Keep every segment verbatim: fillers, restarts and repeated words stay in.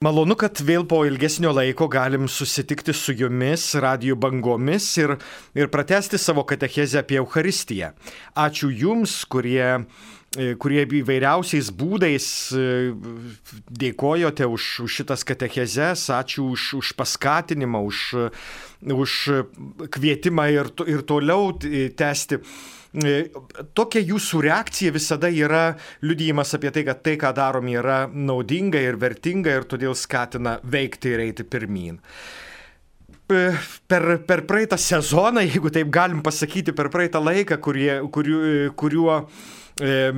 Malonu, kad vėl po ilgesnio laiko galim susitikti su jumis radijo bangomis ir, ir pratęsti savo katechezę apie Eucharistiją. Ačiū jums, kurie, kurie įvairiausiais būdais dėkojote už, už šitas katechezes, ačiū už, už paskatinimą, už, už kvietimą ir, ir toliau tęsti. Tokia jūsų reakcija visada yra liudijimas apie tai, kad tai, ką darom, yra naudinga ir vertinga ir todėl skatina veikti ir eiti pirmyn. Per, per praeitą sezoną, jeigu taip galim pasakyti, per praeitą laiką, kurie, kuriuo, kuriuo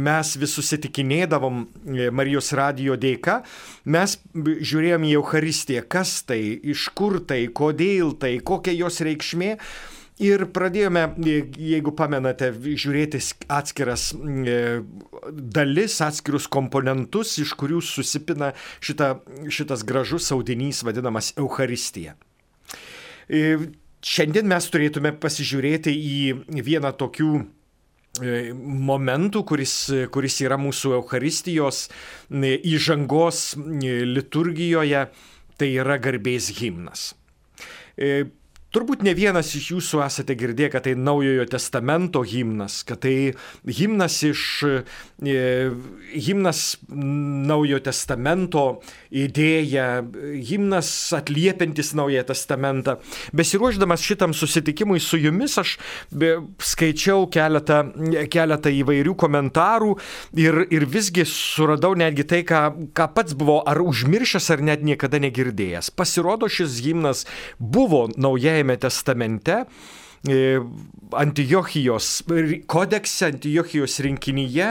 mes vis susitikinėdavom Marijos radijo dėka, mes žiūrėjom į Eucharistiją, kas tai, iš kur tai, kodėl tai, kokia jos reikšmė. Ir pradėjome, jeigu pamenate, žiūrėti atskiras dalis, atskirus komponentus, iš kurių susipina šita, šitas gražus audinys vadinamas Eucharistija. Šiandien mes turėtume pasižiūrėti į vieną tokių momentų, kuris, kuris yra mūsų Eucharistijos įžangos liturgijoje, tai yra garbės himnas. Turbūt ne vienas iš jūsų esate girdėję, kad tai Naujojo testamento himnas, kad tai himnas iš himnas Naujojo testamento idėja, himnas atliepiantis Naująjį testamentą. Besiruošdamas šitam susitikimui su jumis, aš skaičiau keletą, keletą įvairių komentarų ir, ir visgi suradau netgi tai, ką, ką pats buvau ar užmiršęs, ar net niekada negirdėjęs. Pasirodo, šis himnas buvo Naujajame testamente, Antiochijos kodekse, Antiochijos rinkinyje,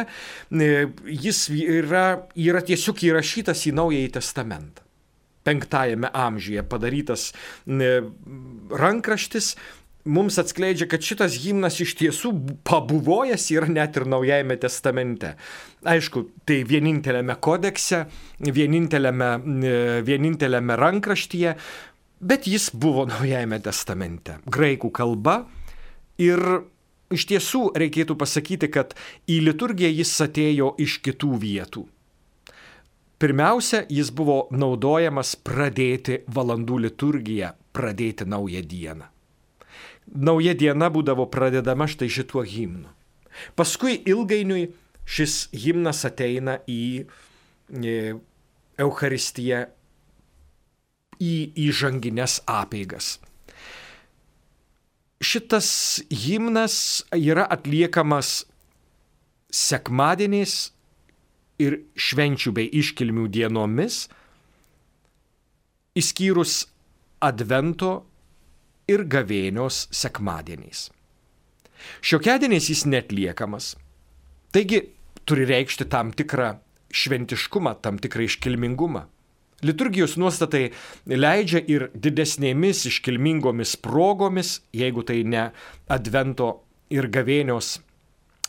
jis yra, yra tiesiog įrašytas į Naująjį testamentą. Penktajame amžiuje padarytas rankraštis mums atskleidžia, kad šitas himnas iš tiesų pabuvojęs yra net ir Naujajame testamente. Aišku, tai vieninteliame kodekse, vieninteliame, vieninteliame rankraštyje, bet jis buvo Naujajame testamente, graikų kalba, ir iš tiesų reikėtų pasakyti, kad į liturgiją jis atėjo iš kitų vietų. Pirmiausia, jis buvo naudojamas pradėti valandų liturgiją, pradėti naują dieną. Nauja diena būdavo pradedama štai šituo himnu. Paskui ilgainiui šis himnas ateina į Eucharistiją, į įžangines apeigas. Šitas himnas yra atliekamas sekmadieniais ir švenčių bei iškilmių dienomis, išskyrus Advento ir gavėnios sekmadieniais. Šiokiadieniais jis neatliekamas, taigi turi reikšti tam tikrą šventiškumą, tam tikrą iškilmingumą. Liturgijos nuostatai leidžia ir didesnėmis iškilmingomis progomis, jeigu tai ne Advento ir gavėnios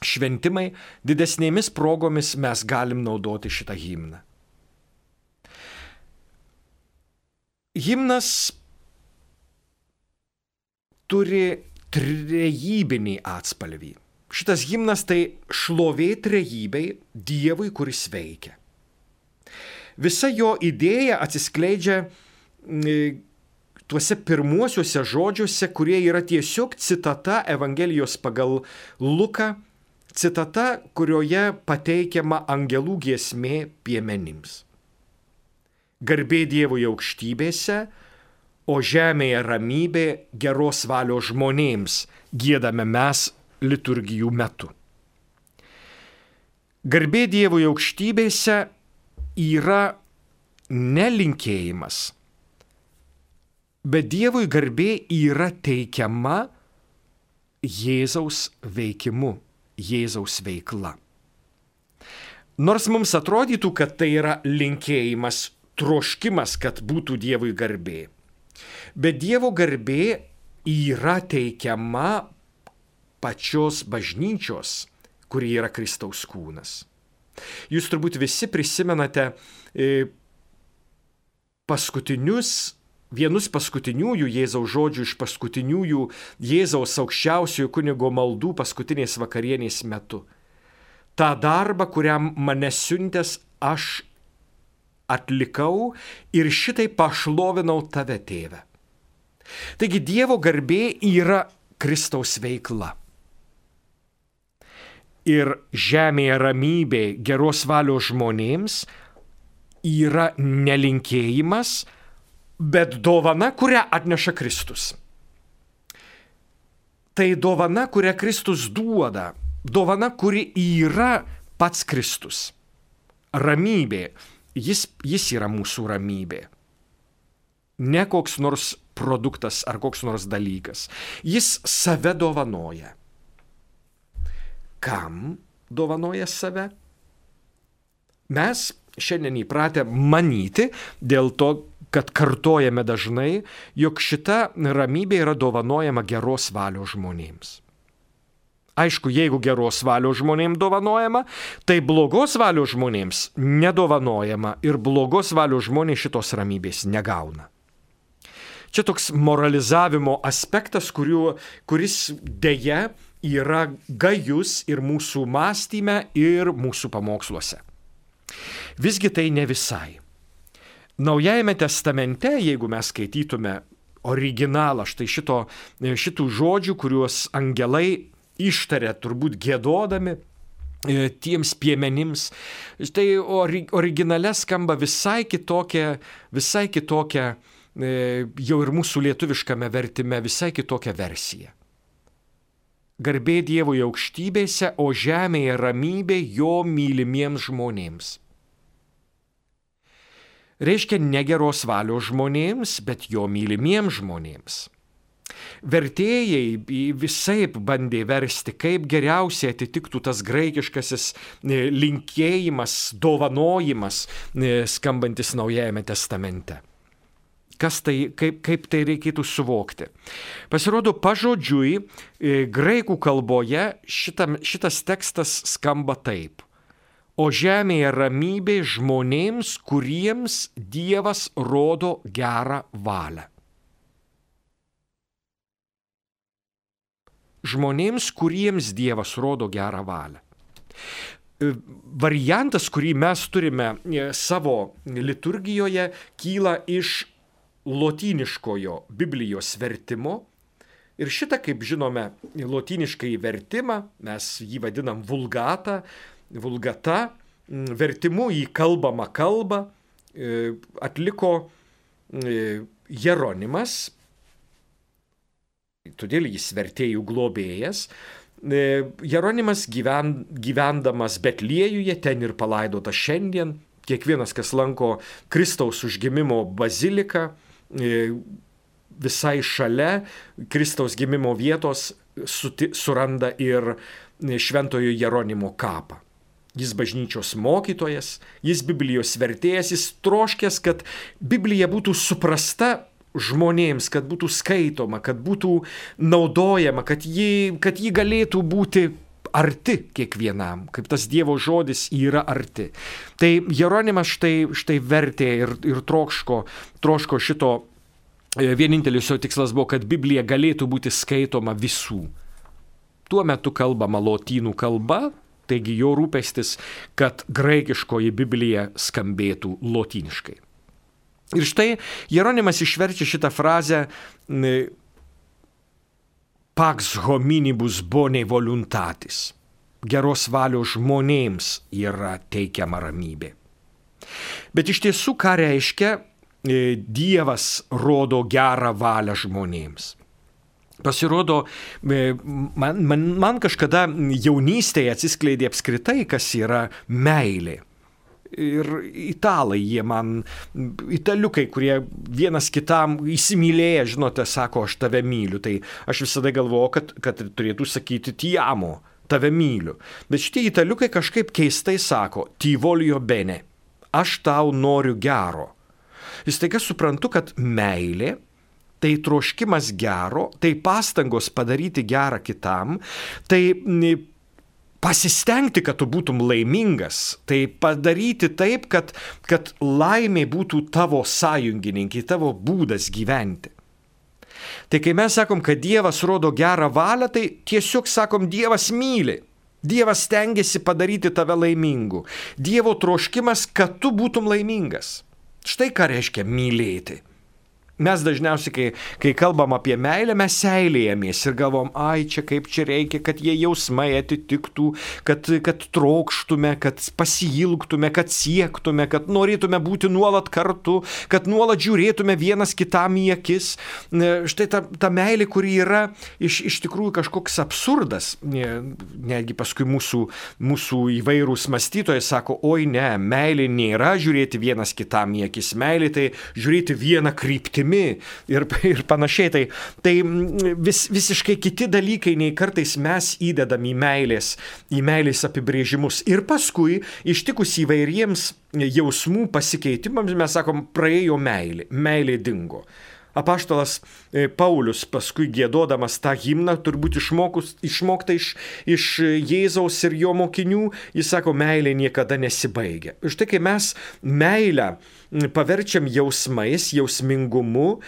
šventimai, didesnėmis progomis mes galim naudoti šitą himną. Himnas turi trejybinį atspalvį. Šitas himnas tai šlovė trejybei, Dievui, kuris veikia. Visa jo idėja atsiskleidžia tuose pirmuosiuose žodžiuose, kurie yra tiesiog citata Evangelijos pagal Luką, citata, kurioje pateikiama angelų giesmė piemenims. Garbė Dievui aukštybėse, o žemėje ramybė geros valios žmonėms, giedame mes liturgijų metu. Garbė Dievui aukštybėse yra nelinkėjimas, bet Dievui garbė yra teikiama Jėzaus veikimu, Jėzaus veikla. Nors mums atrodytų, kad tai yra linkėjimas, troškimas, kad būtų Dievui garbė, bet Dievo garbė yra teikiama pačios bažnyčios, kuri yra Kristaus kūnas. Jūs turbūt visi prisimenate paskutinius, vienus paskutiniųjų Jėzaus žodžių iš paskutiniųjų Jėzaus aukščiausiojo kunigo maldų paskutinės vakarienės metu. tą darbą, kuriam mane siuntęs, aš atlikau ir šitai pašlovinau tave, tėve. Taigi Dievo garbė yra Kristaus veikla. Ir žemėje ramybė geros valios žmonėms yra nelinkėjimas, bet dovana, kurią atneša Kristus. Tai dovana, kurią Kristus duoda, dovana, kuri yra pats Kristus. Ramybė, jis, jis yra mūsų ramybė. Ne koks nors produktas ar koks nors dalykas. Jis save dovanoja. Kam dovanoja save? Mes šiandien įpratę manyti, dėl to, kad kartojame dažnai, jog šita ramybė yra dovanojama geros valios žmonėms. Aišku, jeigu geros valios žmonėms dovanojama, tai blogos valios žmonėms nedovanojama ir blogos valios žmonės šitos ramybės negauna. Čia toks moralizavimo aspektas, kuriuo, kuris dėja yra gajus ir mūsų mąstyme, ir mūsų pamoksluose. Visgi tai ne visai. Naujajame testamente, jeigu mes skaitytume originalą štai šito, šitų žodžių, kuriuos angelai ištarė turbūt giedodami tiems piemenims, tai ori, originale skamba visai kitokia, visai kitokia, jau ir mūsų lietuviškame vertime visai kitokia versija. Garbė Dievui aukštybėse, o žemėje ramybė jo mylimiems žmonėms. Reiškia ne geros valios žmonėms, bet jo mylimiems žmonėms. Vertėjai visaip bandė versti, kaip geriausiai atitiktų tas graikiškasis linkėjimas, dovanojimas skambantis Naujajame testamente. Kas tai, kaip, kaip tai reikėtų suvokti? Pasirodo, pažodžiui, graikų kalboje šitam, šitas tekstas skamba taip. O žemėje ramybė žmonėms, kuriems Dievas rodo gerą valią. Žmonėms, kuriems Dievas rodo gerą valią. Variantas, kurį mes turime savo liturgijoje, kyla iš lotyniškojo Biblijos vertimo. Ir šitą, kaip žinome, lotyniškai vertimą, mes jį vadinam vulgata, vulgata, vertimu į kalbamą kalbą atliko Jeronimas, todėl jis vertėjų globėjas. Jeronimas gyven, gyvendamas Betliejuje, ten ir palaidotas šiandien, kiekvienas, kas lanko Kristaus užgimimo baziliką, visai šalia Kristaus gimimo vietos suti, suranda ir Šventojo Jeronimo kapą. Jis bažnyčios mokytojas, jis Biblijos vertėjas, jis troškęs, kad Biblija būtų suprasta žmonėms, kad būtų skaitoma, kad būtų naudojama, kad ji, kad ji galėtų būti arti kiekvienam, kaip tas Dievo žodis yra arti. Tai Jeronimas štai, štai vertė ir, ir trokško, troško šito, vienintelis jo tikslas buvo, kad Biblija galėtų būti skaitoma visų. Tuo metu kalbama lotynų kalba, taigi jo rūpestis, kad graikiškoji Biblija skambėtų lotyniškai. Ir štai Jeronimas išverčia šitą frazę pax hominibus bone voluntatis. Geros valios žmonėms yra teikiama ramybė. Bet iš tiesų, ką reiškia Dievas rodo gerą valią žmonėms? Pasirodo, man, man, man kažkada jaunystėje atsiskleidė apskritai, kas yra meilė. Ir italai, jie man, italiukai, kurie vienas kitam įsimylėję, žinote, sako, aš tave myliu. Tai aš visada galvoju, kad, kad turėtų sakyti ti amo, tave myliu. Bet šitie italiukai kažkaip keistai sako, ti voglio bene, aš tau noriu gero. Ir staiga suprantu, kad meilė, tai troškimas gero, tai pastangos padaryti gerą kitam, tai pasistengti, kad tu būtum laimingas, tai padaryti taip, kad, kad laimė būtų tavo sąjungininkai, tavo būdas gyventi. Tai kai mes sakom, kad Dievas rodo gerą valią, tai tiesiog sakom, Dievas myli. Dievas stengiasi padaryti tave laimingu. Dievo troškimas, kad tu būtum laimingas. Štai ką reiškia mylėti. Mes dažniausiai, kai, kai kalbam apie meilę, mes seilėjamės ir galvom, ai, čia kaip čia reikia, kad jie jausmai atitiktų, kad, kad trokštume, kad pasiilgtume, kad siektume, kad norėtume būti nuolat kartu, kad nuolat žiūrėtume vienas kitam į akis. Štai ta, ta meilė, kuri yra iš, iš tikrųjų kažkoks absurdas. Netgi paskui mūsų, mūsų įvairūs mąstytojai sako, oi ne, meilė nėra žiūrėti vienas kitam į akis, meilė tai žiūrėti vieną kryptimį. Ir, ir panašiai. Tai, tai vis, visiškai kiti dalykai, nei kartais mes įdedam į meilės, į meilės apibrėžimus. Ir paskui, ištikus įvairiems jausmų pasikeitimams, mes sakom, praėjo meilė, meilė dingo. Apaštalas Paulius paskui giedodamas tą himną, turbūt išmokus, išmokta iš, iš Jėzaus ir jo mokinių, jis sako, meilė niekada nesibaigia. Štai kai mes meilę paverčiam jausmais, jausmingumu,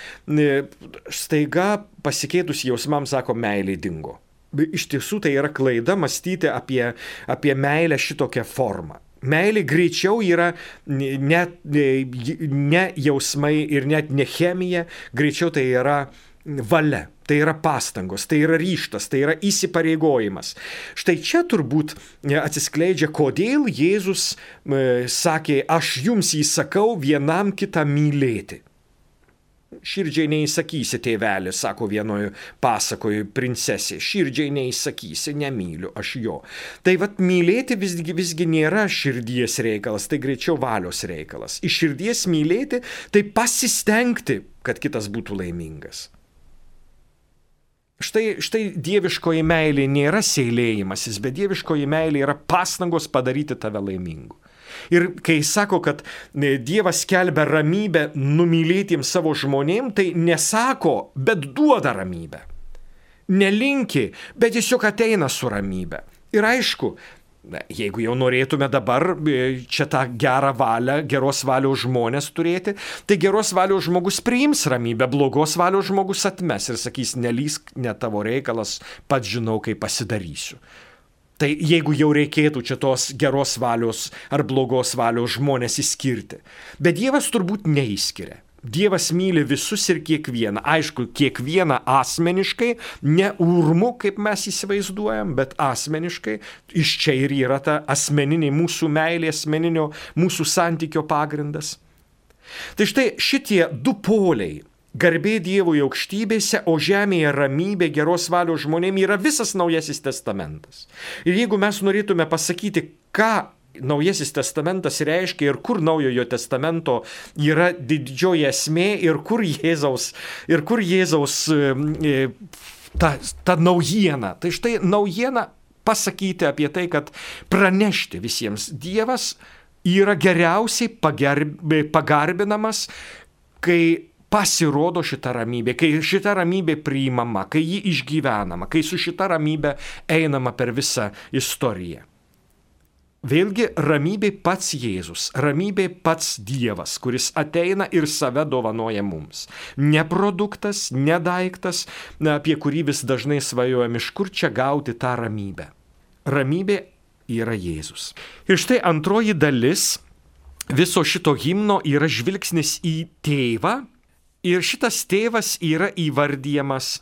staiga pasikeitus jausmams, sako, meilė dingo. Iš tiesų tai yra klaida mąstyti apie, apie meilę šitokią formą. Meilė greičiau yra net ne jausmai ir net ne chemija, greičiau tai yra valia, tai yra pastangos, tai yra ryžtas, tai yra įsipareigojimas. Štai čia turbūt atsiskleidžia, kodėl Jėzus sakė, aš jums įsakau vienam kitą mylėti. Širdžiai neįsakysi, tėvelė, sako vienoje pasakoje princesė, širdžiai neįsakysi, nemyliu aš jo. Tai vat mylėti visgi, visgi nėra širdies reikalas, tai greičiau valios reikalas. Iš širdies mylėti, tai pasistengti, kad kitas būtų laimingas. Štai, štai dieviškoji meilė nėra seilėjimasis, bet dieviškoji meilė yra pastangos padaryti tave laimingu. Ir kai sako, kad Dievas skelbia ramybę numylėtiems savo žmonėm, tai nesako, bet duoda ramybę. Nelinki, bet tiesiog ateina su ramybė. Ir aišku, jeigu jau norėtume dabar čia tą gerą valią, geros valios žmonės turėti, tai geros valios žmogus priims ramybę, blogos valios žmogus atmes ir sakys, nelysk, ne tavo reikalas, pats žinau, kaip pasidarysiu. Tai jeigu jau reikėtų čia tos geros valios ar blogos valios žmonės įskirti. Bet Dievas turbūt neįskiria. Dievas myli visus ir kiekvieną. Aišku, kiekvieną asmeniškai, ne urmu, kaip mes įsivaizduojam, bet asmeniškai. Iš čia ir yra ta asmeninė mūsų meilė, asmeninio mūsų santykio pagrindas. Tai štai šitie du poliai. Garbė Dievui aukštybėse, o žemėje ramybė geros valios žmonėm yra visas Naujasis testamentas. Ir jeigu mes norėtume pasakyti, ką Naujasis testamentas reiškia ir kur Naujojo testamento yra didžioji esmė ir kur Jėzaus, ir kur Jėzaus ta, ta naujiena. Tai štai naujiena pasakyti apie tai, kad pranešti visiems Dievas yra geriausiai pagerb, pagarbinamas, kai pasirodo šita ramybė, kai šita ramybė priimama, kai ji išgyvenama, kai su šita ramybė einama per visą istoriją. Vėlgi ramybė pats Jėzus, ramybė pats Dievas, kuris ateina ir save dovanoja mums. Ne produktas, ne daiktas, apie kurį vis dažnai svajojam, iš kur čia gauti tą ramybę. Ramybė yra Jėzus. Ir štai antroji dalis viso šito himno yra žvilgsnis į tėvą. Ir šitas tėvas yra įvardyjamas,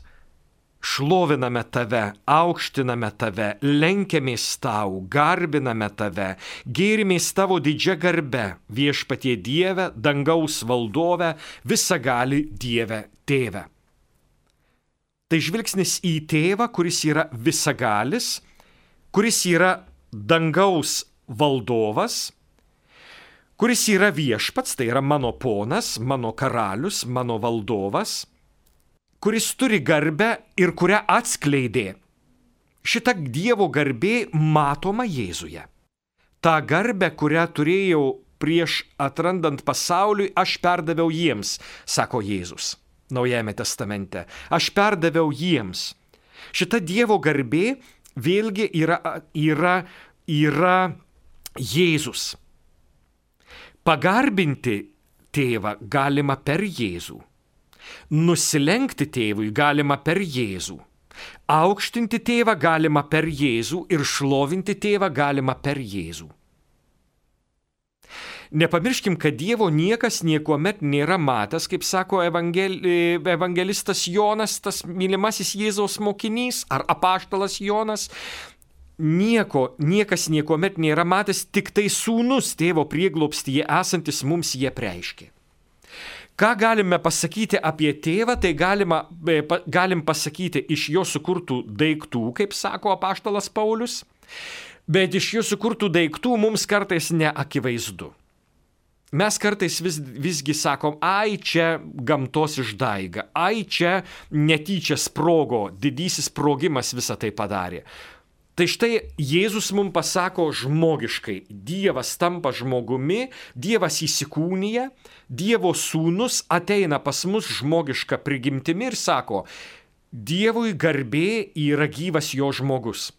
šloviname tave, aukštiname tave, lenkiamės tau, garbiname tave, gėrimės tavo didžia garbe, viešpatie Dieve, dangaus valdove, visagali Dieve tėve. Tai žvilgsnis į tėvą, kuris yra visagalis, kuris yra dangaus valdovas, kuris yra viešpats, tai yra mano ponas, mano karalius, mano valdovas, kuris turi garbę ir kurią atskleidė. Šita Dievo garbė matoma Jėzuje. Ta garbė, kurią turėjau prieš atrandant pasauliui, aš perdaviau jiems, sako Jėzus Naujajame testamente. Aš perdaviau jiems. Šita Dievo garbė vėlgi yra, yra, yra Jėzus. Pagarbinti tėvą galima per Jėzų. Nusilenkti tėvui galima per Jėzų. Aukštinti tėvą galima per Jėzų ir šlovinti tėvą galima per Jėzų. Nepamirškim, kad Dievo niekas niekuomet nėra matęs, kaip sako evangel, evangelistas Jonas, tas mylimasis Jėzaus mokinys, ar apaštalas Jonas. Nieko, niekas niekuomet nėra matęs, tik tai sūnus tėvo prieglobstyje esantis mums jie preiškė. Ką galime pasakyti apie tėvą, tai galima, galim pasakyti iš jo sukurtų daiktų, kaip sako apaštalas Paulius, bet iš jo sukurtų daiktų mums kartais neakivaizdu. Mes kartais vis, visgi sakom, ai čia gamtos išdaiga, ai čia netyčia sprogo, didysis sprogimas visą tai padarė. Tai štai Jėzus mums pasako žmogiškai, Dievas tampa žmogumi, Dievas įsikūnija, Dievo sūnus ateina pas mus žmogišką prigimtimi ir sako, Dievui garbė yra gyvas jo žmogus.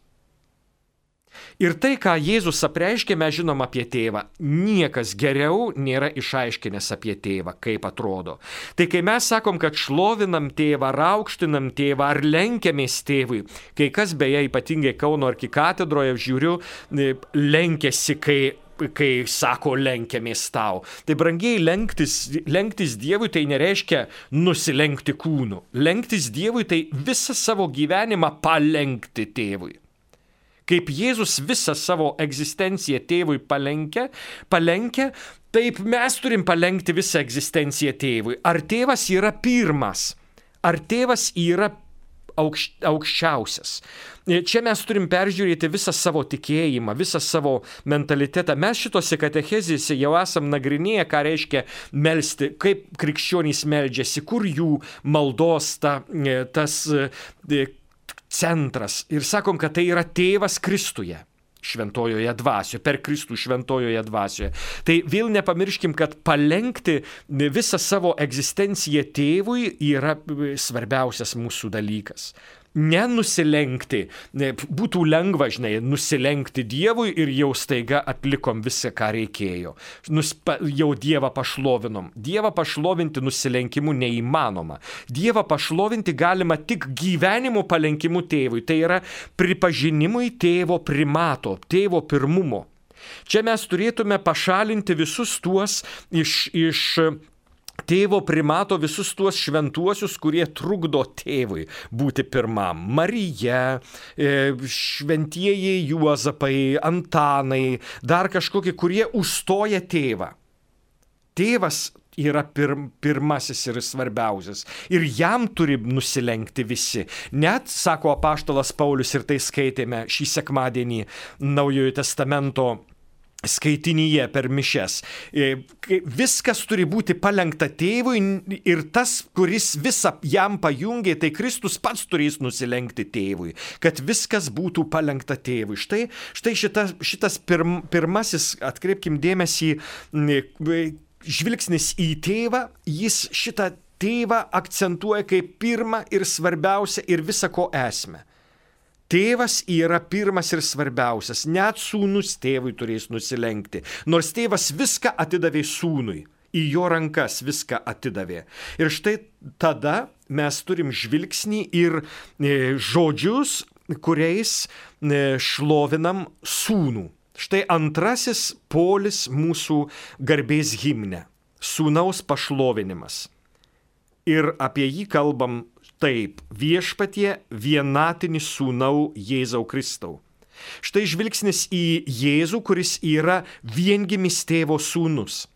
Ir tai, ką Jėzus apreiškė, mes žinom apie tėvą. Niekas geriau nėra išaiškinęs apie tėvą, kaip atrodo. Tai kai mes sakom, kad šlovinam tėvą, raukštinam tėvą ar lenkiamės tėvui, kai kas beje ypatingai Kauno arkikatedroje žiūriu, lenkiasi, kai, kai sako lenkiamės tau. Tai brangiai lenktis, lenktis Dievui tai nereiškia nusilenkti kūnu. Lenktis Dievui tai visą savo gyvenimą palenkti tėvui. Kaip Jėzus visą savo egzistenciją tėvui palenkia, palenkia, taip mes turim palenkti visą egzistenciją tėvui. Ar tėvas yra pirmas? Ar tėvas yra aukš, aukščiausias? Čia mes turim peržiūrėti visą savo tikėjimą, visą savo mentalitetą. Mes šitose katechezėse jau esam nagrinėję, ką reiškia melsti, kaip krikščionys meldžiasi, kur jų maldos ta, tas centras. Ir sakom, kad tai yra tėvas Kristuje, šventojoje dvasioje, per Kristų šventojoje dvasioje. Tai vėl nepamirškim, kad palenkti visą savo egzistenciją tėvui yra svarbiausias mūsų dalykas. Nenusilenkti. Būtų lengva, žinai, nusilenkti Dievui ir jau staiga atlikom visą, ką reikėjo. Nuspa, jau Dievą pašlovinom. Dievą pašlovinti nusilenkimu neįmanoma. Dievą pašlovinti galima tik gyvenimo palenkimu tėvui. Tai yra pripažinimui tėvo primato, tėvo pirmumo. Čia mes turėtume pašalinti visus tuos iš... iš tėvo primato visus tuos šventuosius, kurie trukdo tėvui būti pirmam. Marija, šventieji Juozapai, Antanai, dar kažkokie, kurie užstoja tėvą. Tėvas yra pir, pirmasis ir svarbiausias. Ir jam turi nusilenkti visi. Net, sako apaštalas Paulius, ir tai skaitėme šį sekmadienį Naujojo testamento skaitinyje per mišias. Viskas turi būti palenkta tėvui ir tas, kuris visą jam pajungė, tai Kristus pats turės nusilenkti tėvui, kad viskas būtų palenkta tėvui. Štai, štai šita, šitas pirm, pirmasis, atkreipkim dėmesį, žvilgsnis į tėvą, jis šitą tėvą akcentuoja kaip pirmą ir svarbiausią ir visą ko esmę. Tėvas yra pirmas ir svarbiausias, net sūnus tėvui turės nusilenkti, nors tėvas viską atidavė sūnui, į jo rankas viską atidavė. Ir štai tada mes turim žvilgsnį ir žodžius, kuriais šlovinam sūnų. Štai antrasis polis mūsų garbės himne - sūnaus pašlovinimas. Ir apie jį kalbam taip, viešpatie vienatinį sūnau Jėzau Kristau. Štai žvilgsnis į Jėzų, kuris yra viengimis tėvo sūnus.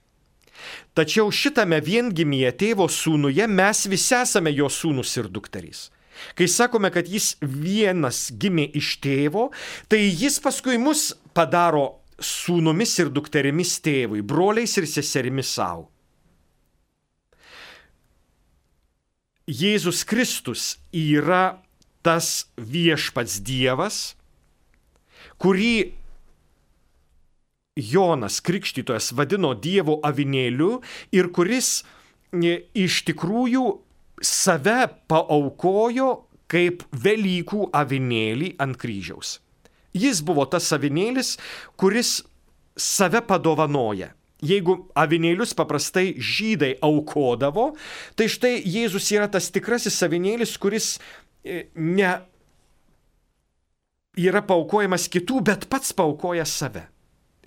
Tačiau šitame viengimyje tėvo sūnuje mes visi esame jo sūnus ir dukterys. Kai sakome, kad jis vienas gimė iš tėvo, tai jis paskui mus padaro sūnumis ir dukterimis tėvui, broliais ir seserimis savo. Jėzus Kristus yra tas viešpats Dievas, kurį Jonas Krikštytojas vadino Dievo avinėliu ir kuris iš tikrųjų save paaukojo kaip Velykų avinėlį ant kryžiaus. Jis buvo tas avinėlis, kuris save padovanoja. Jeigu avinėlius paprastai žydai aukodavo, tai štai Jėzus yra tas tikrasis avinėlis, kuris ne yra paukojamas kitų, bet pats paukoja save.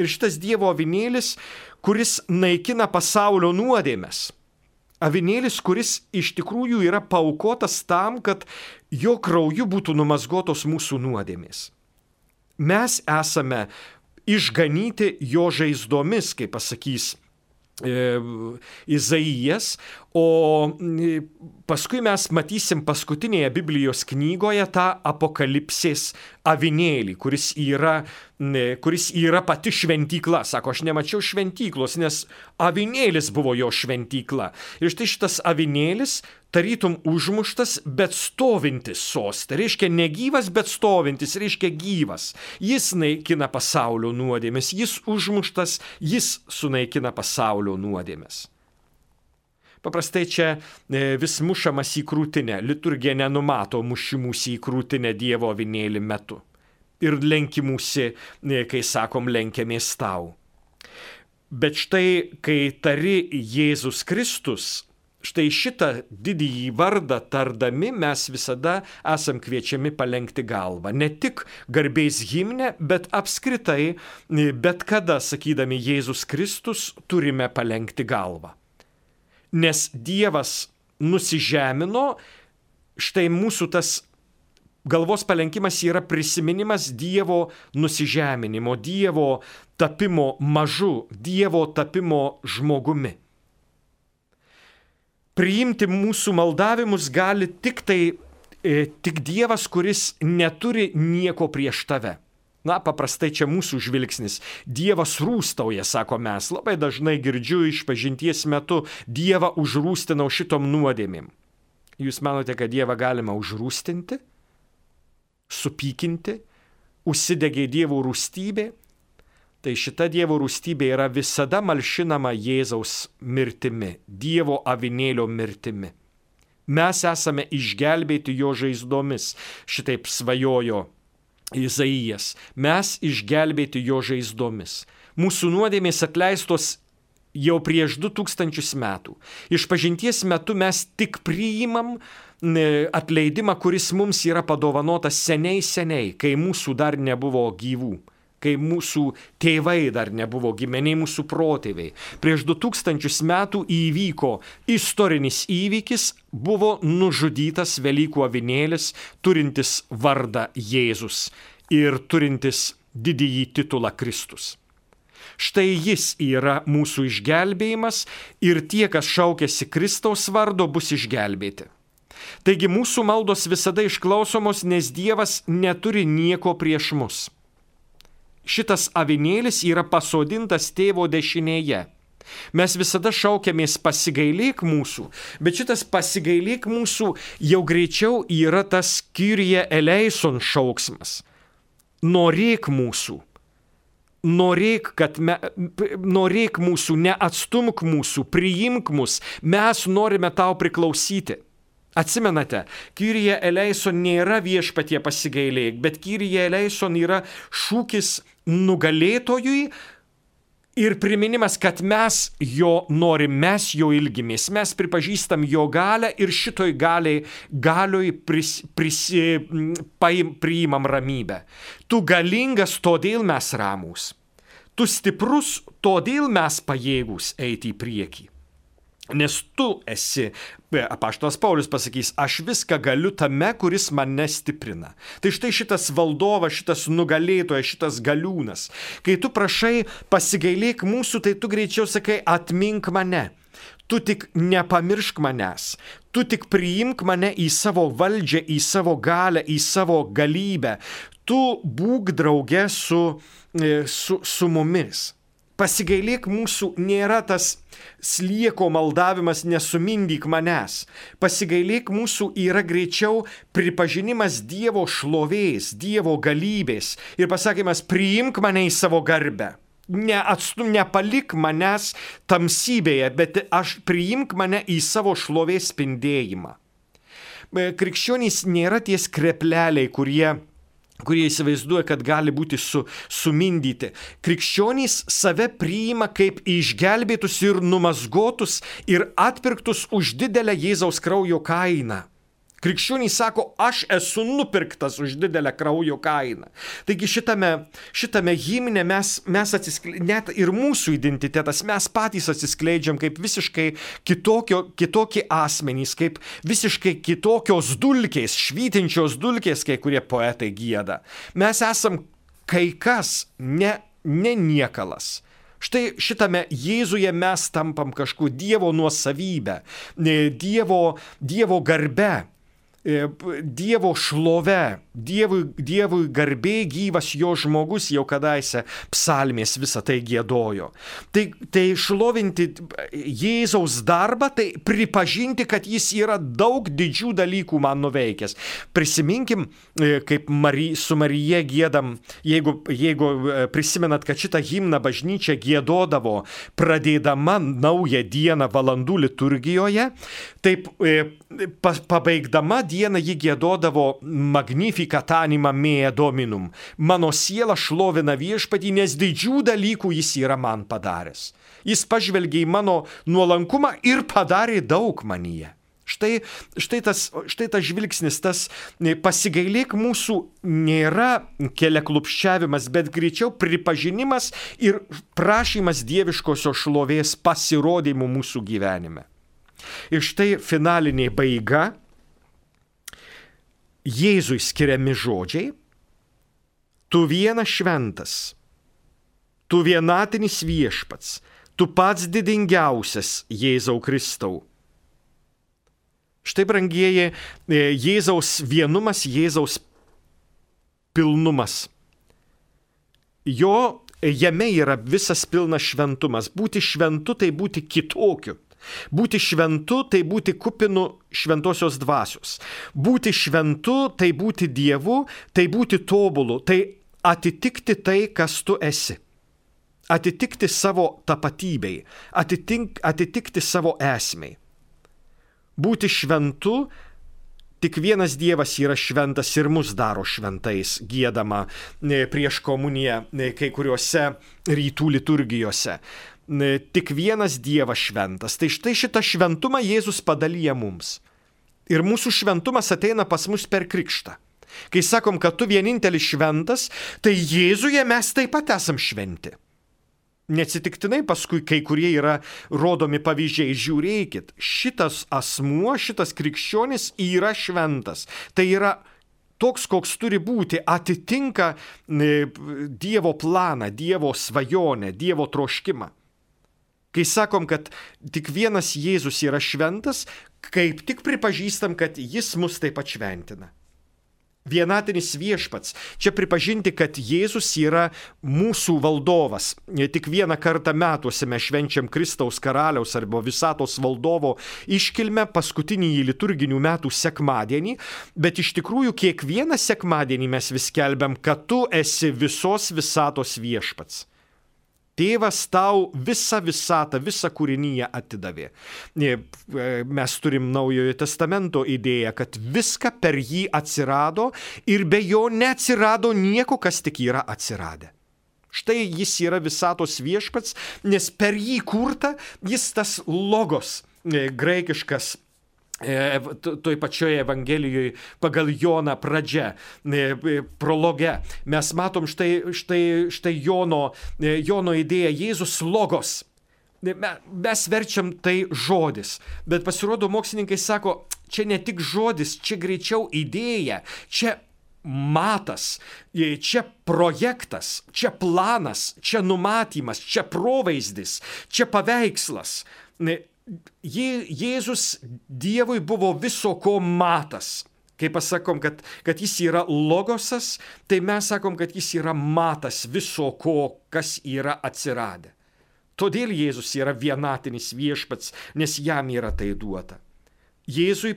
Ir šitas Dievo avinėlis, kuris naikina pasaulio nuodėmes. Avinėlis, kuris iš tikrųjų yra paukotas tam, kad jo krauju būtų numazgotos mūsų nuodėmės. Mes esame išganyti jo žaizdomis, kaip pasakys e, Izaijas, o paskui mes matysim paskutinėje Biblijos knygoje tą apokalipsės avinėlį, kuris yra, kuris yra pati šventykla. Sako, aš nemačiau šventyklos, nes avinėlis buvo jo šventykla. Ir štai šitas avinėlis tarytum užmuštas, bet stovintis soste. Reiškia negyvas, bet stovintis, reiškia gyvas. Jis naikina pasaulio nuodėmes, jis užmuštas, jis sunaikina pasaulio nuodėmes. Paprastai čia vis mušamas į krūtinę. Liturgija nenumato mušimus į krūtinę Dievo avinėlį metu. Ir lenkimusi, kai sakom, lenkiamės tau. Bet štai, kai tari Jėzus Kristus, štai šitą didįjį vardą tardami mes visada esam kviečiami palenkti galvą. Ne tik garbės himne, bet apskritai, bet kada sakydami Jėzus Kristus, turime palenkti galvą. Nes Dievas nusižemino, štai mūsų tas galvos palenkimas yra prisiminimas Dievo nusižeminimo, Dievo tapimo mažu, Dievo tapimo žmogumi. Priimti mūsų maldavimus gali tik tai, e, tik Dievas, kuris neturi nieko prieš tave. Na, paprastai čia mūsų žvilgsnis. Dievas rūstauja, sako mes. Labai dažnai girdžiu išpažinties metu, Dievą užrūstinau šitom nuodėmėm. Jūs manote, kad Dievą galima užrūstinti, supykinti, užsidegė Dievo rūstybė? Tai šita Dievo rūstybė yra visada malšinama Jėzaus mirtimi, Dievo avinėlio mirtimi. Mes esame išgelbėti jo žaizdomis, šitaip svajojo Izaijas. Mes išgelbėti jo žaizdomis. Mūsų nuodėmės atleistos jau prieš du tūkstančius metų. Išpažinties metu mes tik priimam atleidimą, kuris mums yra padovanotas seniai seniai, kai mūsų dar nebuvo gyvų, kai mūsų tėvai dar nebuvo gimeniai, mūsų protėviai. Prieš du tūkstančius metų įvyko istorinis įvykis, buvo nužudytas Velykų avinėlis, turintis vardą Jėzus ir turintis didįjį titulą Kristus. Štai jis yra mūsų išgelbėjimas ir tie, kas šaukėsi Kristaus vardo, bus išgelbėti. Taigi mūsų maldos visada išklausomos, nes Dievas neturi nieko prieš mus. Šitas avinėlis yra pasodintas tėvo dešinėje. Mes visada šaukiamės pasigailėk mūsų, bet šitas pasigailėk mūsų jau greičiau yra tas Kyrie eleison šauksmas. Norėk mūsų. Norėk, kad me, norėk mūsų, neatstumk mūsų, priimk mus, mes norime tau priklausyti. Atsimenate, Kyrie eleison nėra viešpatie pasigailėk, bet Kyrie eleison yra šūkis nugalėtojui ir priminimas, kad mes jo norim, mes jo ilgimės, mes pripažįstam jo galę ir šitoj galiai, galioj pris, pris, paim, priimam ramybę. Tu galingas, todėl mes ramūs. Tu stiprus, todėl mes pajėgūs eiti į priekį. Nes tu esi, apaštalas Paulius pasakys, aš viską galiu tame, kuris mane stiprina. Tai štai šitas valdovas, šitas nugalėtojas, šitas galiūnas. Kai tu prašai pasigailėk mūsų, tai tu greičiau sakai, atmink mane. Tu tik nepamiršk manęs. Tu tik priimk mane į savo valdžią, į savo galę, į savo galybę. Tu būk drauge su, su, su mumis. Pasigailėk mūsų nėra tas slieko maldavimas, nesumindyk manęs. Pasigailėk mūsų yra greičiau pripažinimas Dievo šlovės, Dievo galybės ir pasakymas, priimk mane į savo garbę. Neatstum, nepalik manęs tamsybėje, bet aš priimk mane į savo šlovės spindėjimą. Krikščionys nėra tie skrepleliai, kurie kurie įsivaizduoja, kad gali būti su, sumindyti. Krikščionys save priima kaip išgelbėtus ir numazgotus ir atpirktus už didelę Jėzaus kraujo kainą. Krikščionys sako, aš esu nupirktas už didelę kraujo kainą. Taigi šitame, šitame himne mes, mes atsiskleidžiam, net ir mūsų identitetas, mes patys atsiskleidžiam kaip visiškai kitokio, kitokie asmenys, kaip visiškai kitokios dulkės, švytinčios dulkės, kai kurie poetai gieda. Mes esam kai kas, ne, ne niekalas. Štai šitame Jėzuje mes tampam kažkuo Dievo nuosavybę, Dievo, Dievo garbe, Dievo šlove, Dievui, Dievui garbė gyvas jo žmogus jau kadaise psalmės visą tai giedojo. Tai, tai šlovinti Jėzaus darbą, tai pripažinti, kad jis yra daug didžių dalykų man nuveikęs. Prisiminkim, kaip Mari, su Marija giedam, jeigu, jeigu prisimenat, kad šitą himną bažnyčia giedodavo pradėdama naują dieną valandų liturgijoje, taip pa, pabaigdama dieną ji giedodavo Magnificat anima mea Dominum. Mano siela šlovina viešpatį, nes didžių dalykų jis yra man padaręs. Jis pažvelgė į mano nuolankumą ir padarė daug manyje. Štai, štai, tas, štai tas žvilgsnis, tas pasigailėk mūsų nėra keliaklupščiavimas, bet greičiau pripažinimas ir prašymas dieviškosios šlovės pasirodymų mūsų gyvenime. Ir štai finalinė baiga. Jėzui skiriami žodžiai, tu vienas šventas, tu vienatinis viešpats, tu pats didingiausias Jėzau Kristau. Štai, brangieji, Jėzaus vienumas, Jėzaus pilnumas. Jo, jame yra visas pilnas šventumas. Būti šventu tai būti kitokiu. Būti šventu tai būti kupinu šventosios dvasios. Būti šventu tai būti Dievu, tai būti tobulu, tai atitikti tai, kas tu esi. Atitikti savo tapatybei, atitink, atitikti savo esmei. Būti šventu, tik vienas Dievas yra šventas ir mus daro šventais, giedama prieš komuniją kai kuriuose rytų liturgijose. Tik vienas Dievas šventas. Tai štai šitą šventumą Jėzus padalyja mums. Ir mūsų šventumas ateina pas mus per krikštą. Kai sakom, kad tu vienintelis šventas, tai Jėzuje mes taip pat esam šventi. Neatsitiktinai paskui kai kurie yra rodomi pavyzdžiai. Žiūrėkit, šitas asmuo, šitas krikščionis yra šventas. Tai yra toks, koks turi būti, atitinka Dievo planą, Dievo svajonę, Dievo troškimą. Kai sakom, kad tik vienas Jėzus yra šventas, kaip tik pripažįstam, kad jis mus taip pat šventina. Vienatinis viešpats. Čia pripažinti, kad Jėzus yra mūsų valdovas. Tik vieną kartą metuose mes švenčiam Kristaus karaliaus arba visatos valdovo iškilmę paskutinį liturginių metų sekmadienį, bet iš tikrųjų kiekvieną sekmadienį mes vis skelbiam, kad tu esi visos visatos viešpats. Tėvas tau visą visatą, visą kūrinyje atidavė. Mes turim Naujojo testamento idėją, kad viską per jį atsirado ir be jo neatsirado nieko, kas tik yra atsiradę. Štai jis yra visatos viešpats, nes per jį kurta jis tas logos graikiškas. Toj pačioje Evangelijoje pagal Joną pradžia, prologe, mes matom štai, štai, štai Jono, Jono idėją Jėzus logos. Mes verčiam tai žodis, bet pasirodo mokslininkai sako, čia ne tik žodis, čia greičiau idėja, čia matas, čia projektas, čia planas, čia numatymas, čia provaizdis, čia paveikslas. Jė, Jėzus Dievui buvo viso ko matas. Kai pasakom, kad, kad jis yra logosas, tai mes sakom, kad jis yra matas viso ko, kas yra atsiradę. Todėl Jėzus yra vienatinis viešpats, nes jam yra tai duota. Jėzui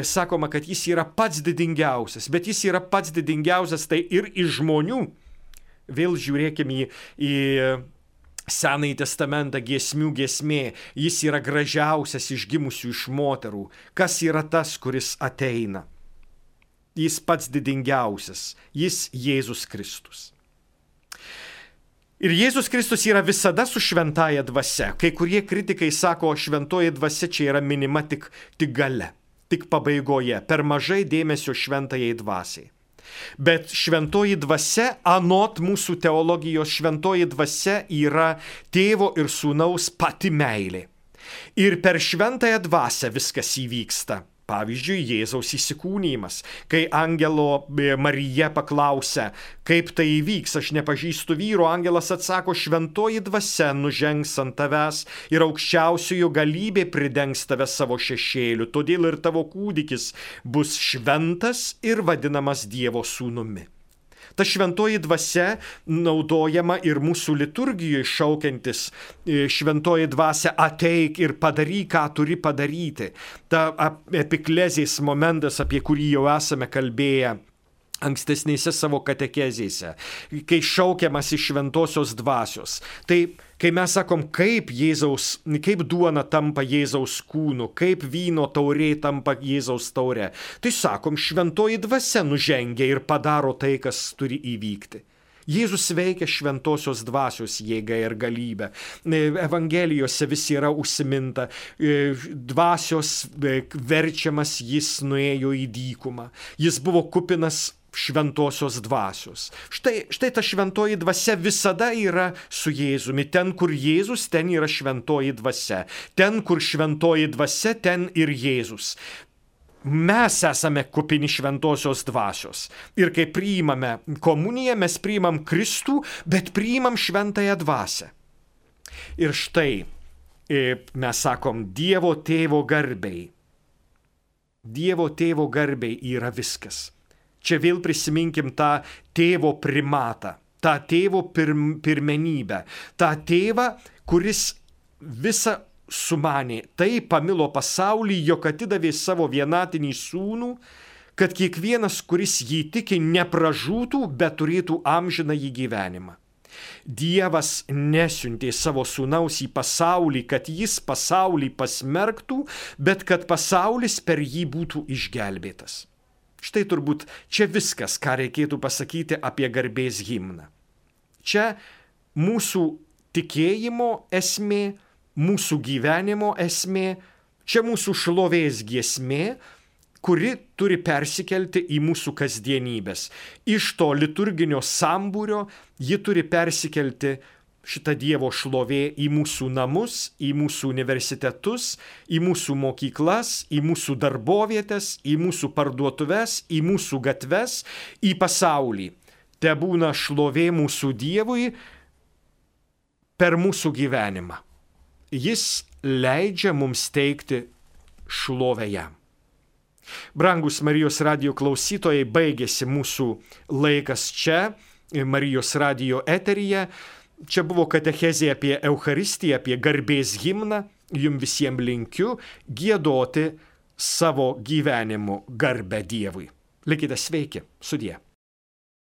sakoma, kad jis yra pats didingiausias, bet jis yra pats didingiausias tai ir iš žmonių. Vėl žiūrėkime į... į Senąjį testamentą giesmių giesmė, jis yra gražiausias iš gimusių iš moterų. Kas yra tas, kuris ateina? Jis pats didingiausias, jis Jėzus Kristus. Ir Jėzus Kristus yra visada su šventaja dvasia. Kai kurie kritikai sako, šventoji dvasia čia yra minima tik, tik gale. tik pabaigoje, per mažai dėmesio šventajai dvasiai. Bet šventoji dvasia, anot mūsų teologijos, šventoji dvasia yra tėvo ir sūnaus pati meilė. Ir per šventąją dvasią viskas įvyksta. Pavyzdžiui, Jėzaus įsikūnymas, kai angelo Marija paklausia, kaip tai įvyks, aš nepažįstu vyro, angelas atsako, šventoji dvasia nužengs ant tavęs ir aukščiausiojo galybė pridengs tave savo šešėliu, todėl ir tavo kūdikis bus šventas ir vadinamas Dievo sūnumi. Ta šventoji dvasia naudojama ir mūsų liturgijoje šaukiantis šventoji dvasia ateik ir padaryk, ką turi padaryti. Ta epiklezės momentas, apie kurį jau esame kalbėję ankstesnėse savo katekezėse, kai šaukiamas iš šventosios dvasios. Tai kai mes sakom, kaip Jėzaus, kaip duona tampa Jėzaus kūnu, kaip vyno taurė tampa Jėzaus taure, tai sakom, šventoji dvasia nužengia ir padaro tai, kas turi įvykti. Jėzus veikia šventosios dvasios jėga ir galybė. Evangelijose vis yra užsiminta, dvasios verčiamas jis nuėjo į dykumą. Jis buvo kupinas šventosios dvasios. Štai, štai ta šventoji dvasia visada yra su Jėzumi. Ten, kur Jėzus, ten yra šventoji dvasia. Ten, kur šventoji dvasia, ten ir Jėzus. Mes esame kupini šventosios dvasios. Ir kai priimame komuniją, mes priimam Kristų, bet priimam šventąją dvasią. Ir štai mes sakom, Dievo tėvo garbei. Dievo tėvo garbei yra viskas. Čia vėl prisiminkim tą tėvo primatą, tą tėvo pirm, pirmenybę, tą tėvą, kuris visą sumanė, tai pamilo pasaulį, jog atidavė savo vienatinį sūnų, kad kiekvienas, kuris jį tiki, nepražūtų, bet turėtų amžinąjį gyvenimą. Dievas nesiuntė savo sūnaus į pasaulį, kad jis pasaulį pasmerktų, bet kad pasaulis per jį būtų išgelbėtas. Štai turbūt čia viskas, ką reikėtų pasakyti apie garbės himną. Čia mūsų tikėjimo esmė, mūsų gyvenimo esmė, čia mūsų šlovės giesmė, kuri turi persikelti į mūsų kasdienybės. Iš to liturginio sambūrio ji turi persikelti šitą Dievo šlovė į mūsų namus, į mūsų universitetus, į mūsų mokyklas, į mūsų darbovietės, į mūsų parduotuves, į mūsų gatves, į pasaulį. Te būna šlovė mūsų Dievui per mūsų gyvenimą. Jis leidžia mums teikti šlovę jam. Brangus Marijos radijo klausytojai, baigėsi mūsų laikas čia, Marijos radijo eteryje. Čia buvo katechezė apie Eucharistiją, apie garbės himną. Jums visiems linkiu giedoti savo gyvenimu garbę Dievui. Likite sveiki, sudie.